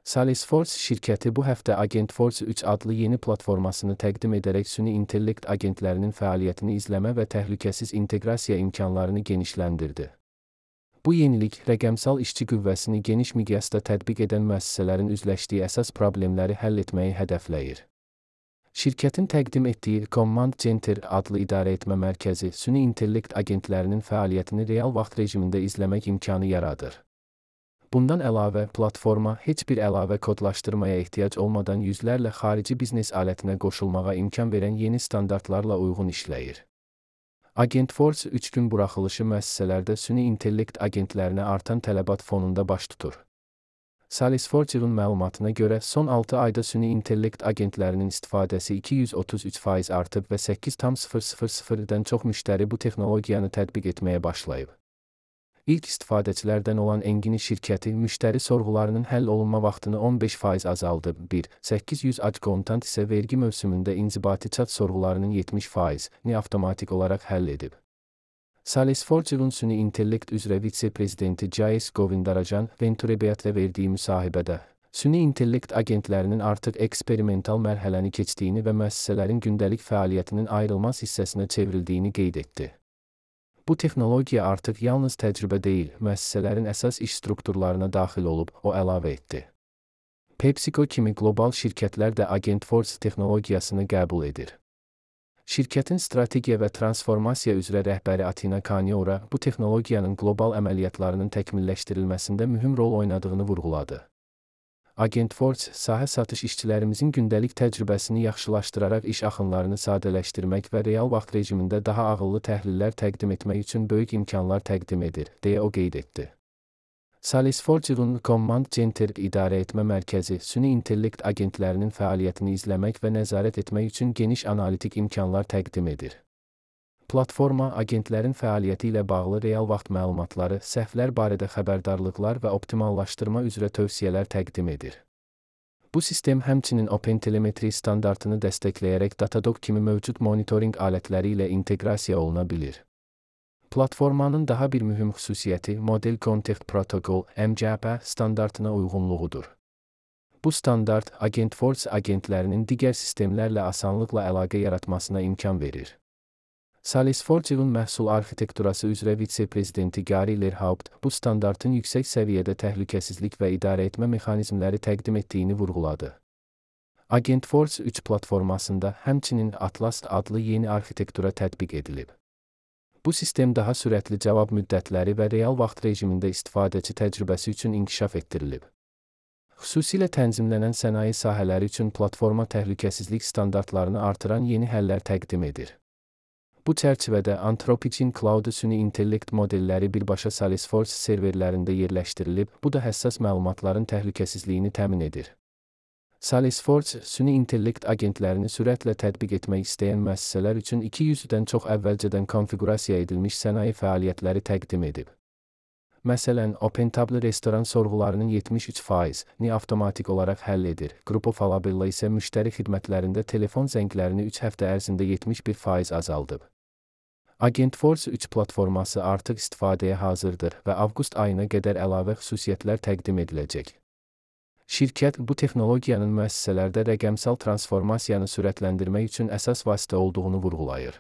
Salesforce şirkəti bu həftə Agentforce 3 adlı yeni platformasını təqdim edərək süni intellekt agentlərinin fəaliyyətini izləmə və təhlükəsiz inteqrasiya imkanlarını genişləndirdi. Bu yenilik, rəqəmsal işçi qüvvəsini geniş miqyasda tətbiq edən müəssisələrin üzləşdiyi əsas problemləri həll etməyi hədəfləyir. Şirkətin təqdim etdiyi Command Center adlı idarəetmə mərkəzi süni intellekt agentlərinin fəaliyyətini real vaxt rejimində izləmək imkanı yaradır. Bundan əlavə, platforma heç bir əlavə kodlaşdırmaya ehtiyac olmadan yüzlərlə xarici biznes alətinə qoşulmağa imkan verən yeni standartlarla uyğun işləyir. Agentforce 3 gün buraxılışı müəssisələrdə süni intellekt agentlərinə artan tələbat fonunda baş tutur. Salesforce'un məlumatına görə son 6 ayda süni intellekt agentlərinin istifadəsi 233% artıb və 8,000-dən çox müştəri bu texnologiyanı tətbiq etməyə başlayıb. İlk istifadəçilərdən olan Engini şirkəti müştəri sorğularının həll olunma vaxtını 15% azaldıb. 800 ac kontant isə vergi mövsümündə inzibati çat sorğularının 70%ni avtomatik olaraq həll edib. Salesforce'un süni intellekt üzrə vitse-prezidenti Jayesh Govindarajan Venturebeat'lə verdiyi müsahibədə, süni intellekt agentlərinin artıq eksperimental mərhələni keçdiyini və müəssisələrin gündəlik fəaliyyətinin ayrılmaz hissəsinə çevrildiyini qeyd etdi. Bu texnologiya artıq yalnız təcrübə deyil, müəssisələrin əsas iş strukturlarına daxil olub, o əlavə etdi. PepsiCo kimi qlobal şirkətlər də Agentforce texnologiyasını qəbul edir. Şirkətin strategiya və transformasiya üzrə rəhbəri Atina Kaniora bu texnologiyanın qlobal əməliyyatlarının təkmilləşdirilməsində mühüm rol oynadığını vurğuladı. Agentforce, sahə satış işçilərimizin gündəlik təcrübəsini yaxşılaşdıraraq iş axınlarını sadələşdirmək və real vaxt rejimində daha ağıllı təhlillər təqdim etmək üçün böyük imkanlar təqdim edir, deyə o qeyd etdi. Salesforce'un Command Center idarəetmə mərkəzi süni intellekt agentlərinin fəaliyyətini izləmək və nəzarət etmək üçün geniş analitik imkanlar təqdim edir. Platforma, agentlərin fəaliyyəti ilə bağlı real vaxt məlumatları, səhvlər barədə xəbərdarlıqlar və optimallaşdırma üzrə tövsiyələr təqdim edir. Bu sistem həmçinin OpenTelemetry standartını dəstəkləyərək Datadog kimi mövcud monitoring alətləri ilə inteqrasiya oluna bilir. Platformanın daha bir mühüm xüsusiyyəti Model Context Protocol (MCP) standartına uyğunluğudur. Bu standart, Agentforce agentlərinin digər sistemlərlə asanlıqla əlaqə yaratmasına imkan verir. Salesforce'un məhsul arxitekturası üzrə vitse-prezidenti Gary Lerhaupt bu standartın yüksək səviyyədə təhlükəsizlik və idarəetmə mexanizmləri təqdim etdiyini vurğuladı. Agentforce 3 platformasında həmçinin Atlas adlı yeni arxitektura tətbiq edilib. Bu sistem daha sürətli cavab müddətləri və real vaxt rejimində istifadəçi təcrübəsi üçün inkişaf etdirilib. Xüsusilə tənzimlənən sənaye sahələri üçün platforma təhlükəsizlik standartlarını artıran yeni həllər təqdim edir. Bu çərçivədə Anthropic'in Cloud süni intellekt modelləri birbaşa Salesforce serverlərində yerləşdirilib, bu da həssas məlumatların təhlükəsizliyini təmin edir. Salesforce süni intellekt agentlərini sürətlə tətbiq etmək istəyən müəssisələr üçün 200-dən çox əvvəlcədən konfiqurasiya edilmiş sənaye fəaliyyətləri təqdim edib. Məsələn, OpenTable restoran sorğularının 73%ni avtomatik olaraq həll edir. Grupo Falabella isə müştəri xidmətlərində telefon zənglərini 3 həftə ərzində 71% azaldıb. Agentforce 3 platforması artıq istifadəyə hazırdır və avqust ayına qədər əlavə xüsusiyyətlər təqdim ediləcək. Şirkət bu texnologiyanın müəssisələrdə rəqəmsal transformasiyanı sürətləndirmək üçün əsas vasitə olduğunu vurğulayır.